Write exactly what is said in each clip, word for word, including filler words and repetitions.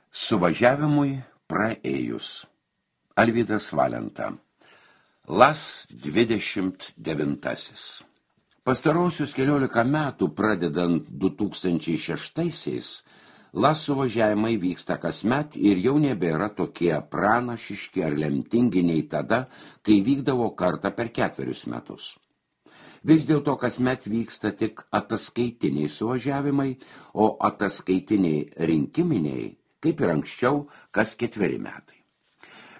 Suvažiavimui praėjus. Alvydas Valenta. Las dvidešimt devintasis. Pastarosius keliolika metų, pradedant du tūkstančiai šeštaisiais, Las suvažiavimai vyksta kasmet ir jau nebėra tokie pranašiški ar lemtingi nei tada, kai vykdavo kartą per ketverius metus. Vis dėlto kasmet vyksta tik ataskaitiniai suvažiavimai, o ataskaitiniai rinkiminiai, kaip ir anksčiau, kas ketveri metai.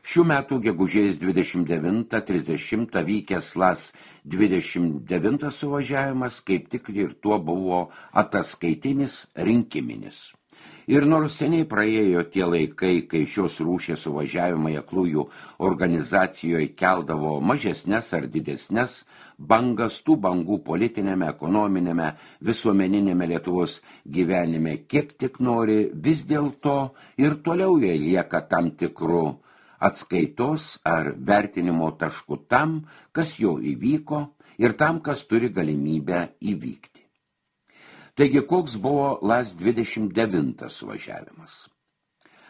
Šių metų gegužės dvidešimt devintą trisdešimtą vykęs Las dvidešimt devintas suvažiavimas kaip tik ir tuo buvo ataskaitinis rinkiminis. Ir nors seniai praėjo tie laikai, kai šios rūšies suvažiavimai aklųjų organizacijoje keldavo mažesnes ar didesnes bangas, tų bangų politinėme, ekonominėme, visuomeninėme Lietuvos gyvenime kiek tik nori, vis dėlto ir toliau jie lieka tam tikrų atskaitos ar vertinimo taškų tam, kas jau įvyko ir tam, kas turi galimybę įvykti. Taigi, koks buvo Las dvidešimt devintas suvažiavimas?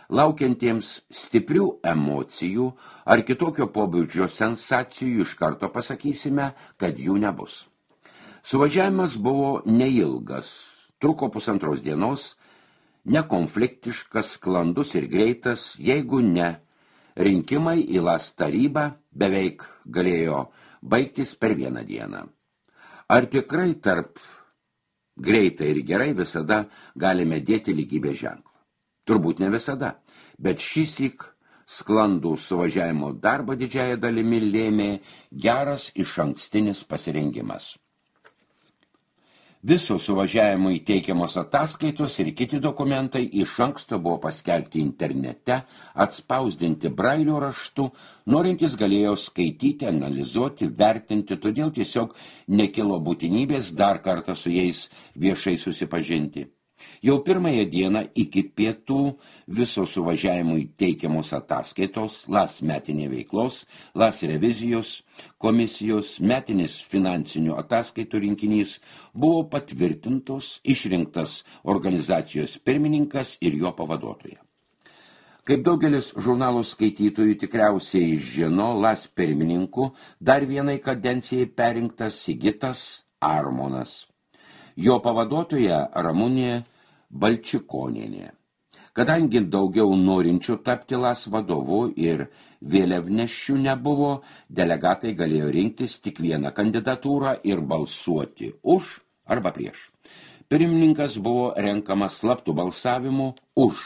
Laukiantiems stiprių emocijų ar kitokio pobūdžio sensacijų iš karto pasakysime, kad jų nebus. Suvažiavimas buvo neilgas, truko pusantros dienos, nekonfliktiškas, sklandus ir greitas, jeigu ne, rinkimai į Las tarybą beveik galėjo baigtis per vieną dieną. Ar tikrai tarp greitai ir gerai visada galime dėti lygybės ženklą? Turbūt ne visada, bet šįsyk sklandų suvažiavimo darbą didžiąją dalimi lėmė geras išankstinis pasirengimas. Visos suvažiavimui teikiamos ataskaitos ir kiti dokumentai iš anksto buvo paskelbti internete, atspausdinti brailio raštu, norintys galėjo skaityti, analizuoti, vertinti, todėl tiesiog nekilo būtinybės dar kartą su jais viešai susipažinti. Jau pirmąją dieną iki pietų viso suvažiavimui teikiamos ataskaitos, Las metinė veiklos, Las revizijos, komisijos, metinis finansinių ataskaitų rinkinys buvo patvirtintos, išrinktas organizacijos pirmininkas ir jo pavaduotoja. Kaip daugelis žurnalų skaitytojų tikriausiai žino, Las pirmininku dar vienai kadencijai perrinktas Sigitas Armonas. Jo pavaduotoja Ramunė Balčikonienė. Kadangi daugiau norinčių tapti Las vadovu ir vėliavnešių nebuvo, delegatai galėjo rinktis tik vieną kandidatūrą ir balsuoti už arba prieš. Pirmininkas buvo renkamas slaptų balsavimų, už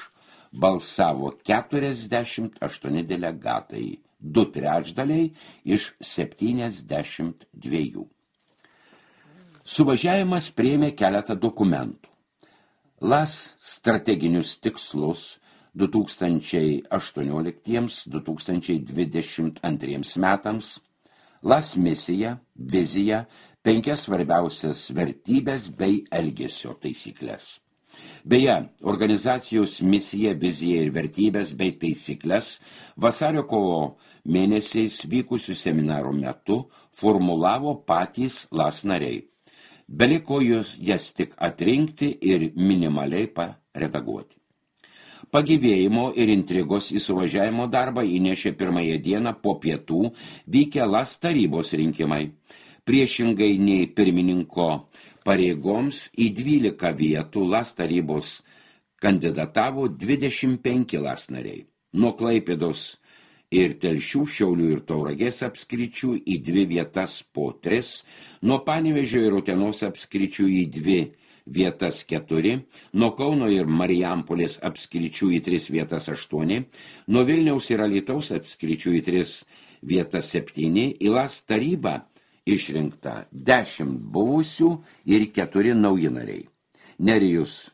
balsavo keturiasdešimt aštuoni delegatai, du trečdaliai iš septyniasdešimt dviejų. Suvažiavimas priėmė keletą dokumentų. Las strateginius tikslus du tūkstančiai aštuonioliktiems - du tūkstančiai dvidešimt antriems metams, Las misiją, viziją, penkias svarbiausias vertybės bei elgesio taisyklės. Beje, organizacijos misija, vizija ir vertybės bei taisyklės vasario kovo mėnesiais vykusių seminarų metu formulavo patys Las nariai. Beliko jūs jas tik atrinkti ir minimaliai paredaguoti. Pagyvėjimo ir intrigos į suvažiavimo darbą įnešė pirmąją dieną po pietų vykę Las tarybos rinkimai. Priešingai nei pirmininko pareigoms į dvylika vietų Las tarybos kandidatavo dvidešimt penki Las nariai. Nuo Klaipėdos ir Telšių, Šiaulių ir Tauragės apskričių į dvi vietas po tris, nuo Panevėžio ir Utenos apskričių į dvi vietas keturi, nuo Kauno ir Marijampolės apskričių į tris vietas aštuoni, nuo Vilniaus ir Alytaus apskričių į tris vietas septyni, į Las tarybą išrinkta dešimt buvusių ir keturi nauji nariai. Nerijus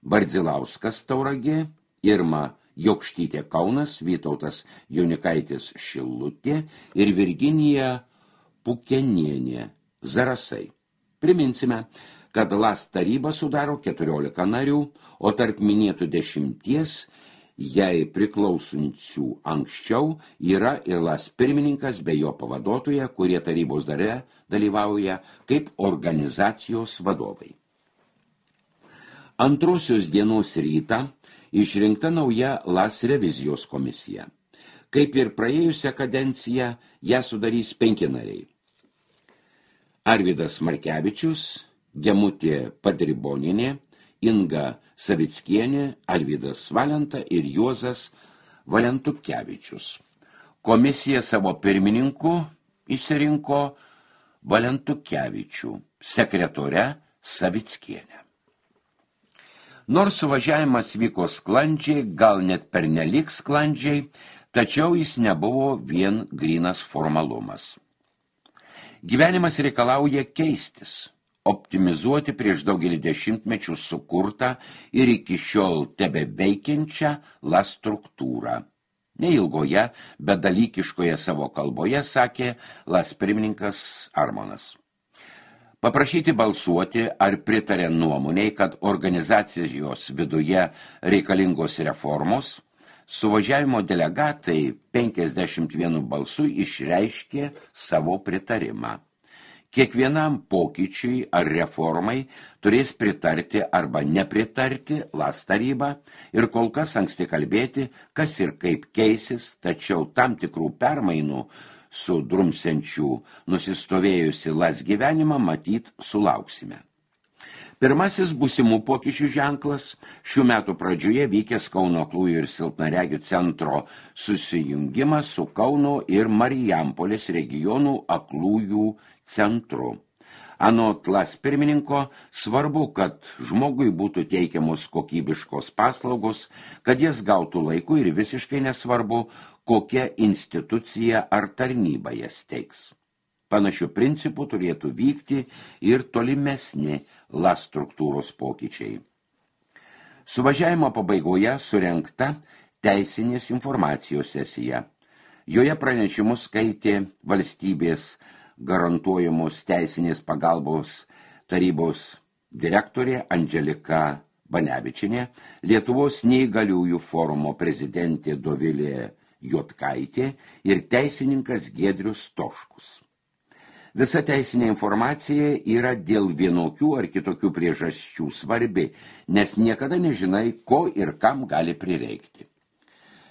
Bardzilauskas Tauragė, Irma Jokštytė Kaunas, Vytautas Jaunikaitis Šilutė ir Virginija Pukenienė Zarasai. Priminsime, kad Las taryba sudaro keturiolika narių, o tarp minėtų dešimties jai priklausančių anksčiau yra ir Las pirmininkas bei jo pavaduotoja, kurie tarybos dare dalyvauja kaip organizacijos vadovai. Antrosios dienos rytą išrinkta nauja LAS revizijos komisija. Kaip ir praėjusią kadenciją, ją sudarys penki nariai. Arvydas Markevičius, Gemutė Padriboninė, Inga Savickienė, Alvydas Valenta ir Juozas Valentukevičius. Komisija savo pirmininku išsirinko Valentukevičių, sekretore Savickienę. Nors suvažiavimas vyko sklandžiai, gal net pernelyg sklandžiai, tačiau jis nebuvo vien grynas formalumas. Gyvenimas reikalauja keistis, optimizuoti prieš daugelį dešimtmečių sukurtą ir iki šiol tebeveikiančią LAS struktūrą. Neilgoje, bet dalykiškoje savo kalboje sakė LAS pirmininkas Armonas. Paprašyti balsuoti ar pritarė nuomoniai, kad organizacijos viduje reikalingos reformos, suvažiavimo delegatai penkiasdešimt vienu balsu išreiškė savo pritarimą. Kiekvienam pokyčiui ar reformai turės pritarti arba nepritarti LAS taryba ir kol kas anksti kalbėti, kas ir kaip keisis, tačiau tam tikrų permainų su drumsenčių nusistovėjusi LAS gyvenimą matyt sulauksime. Pirmasis būsimų pokyčių ženklas šių metų pradžioje vykęs Kauno aklųjų ir silpnaregių centro susijungimas su Kauno ir Marijampolės regionų aklųjų centru. Anot LAS pirmininko, svarbu, kad žmogui būtų teikiamos kokybiškos paslaugos, kad jas gautų laiku ir visiškai nesvarbu, kokia institucija ar tarnyba jas teiks. Panašių principų turėtų vykti ir tolimesni LAS struktūros pokyčiai. Suvažiavimo pabaigoje surengta teisinės informacijos sesija. Joje pranešimus skaitė valstybės garantuojamos teisinės pagalbos tarybos direktorė Andželika Banevičienė, Lietuvos neįgaliųjų forumo prezidentė Dovilė Jotkaitė ir teisininkas Giedrius Toškus. Visa teisinė informacija yra dėl vienokių ar kitokių priežasčių svarbi, nes niekada nežinai, ko ir kam gali prireikti.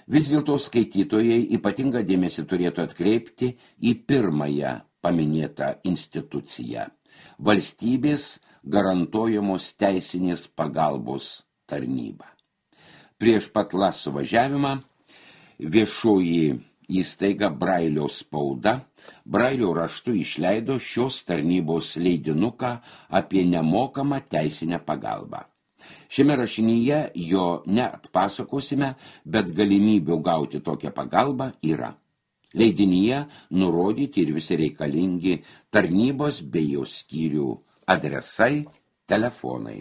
Vis dėlto skaitytojai ypatingą dėmesį turėtų atkreipti į pirmąją paminėtą instituciją – valstybės garantuojamos teisinės pagalbos tarnybą. Prieš pat LAS suvažiavimą viešoji įstaiga Brailio spauda Brailio raštu išleido šios tarnybos leidinuką apie nemokamą teisinę pagalbą. Šiame rašinyje jo neatpasakosime, bet galimybių gauti tokią pagalbą yra. Leidinyje nurodyti ir visi reikalingi tarnybos bei jos skyrių adresai, telefonai.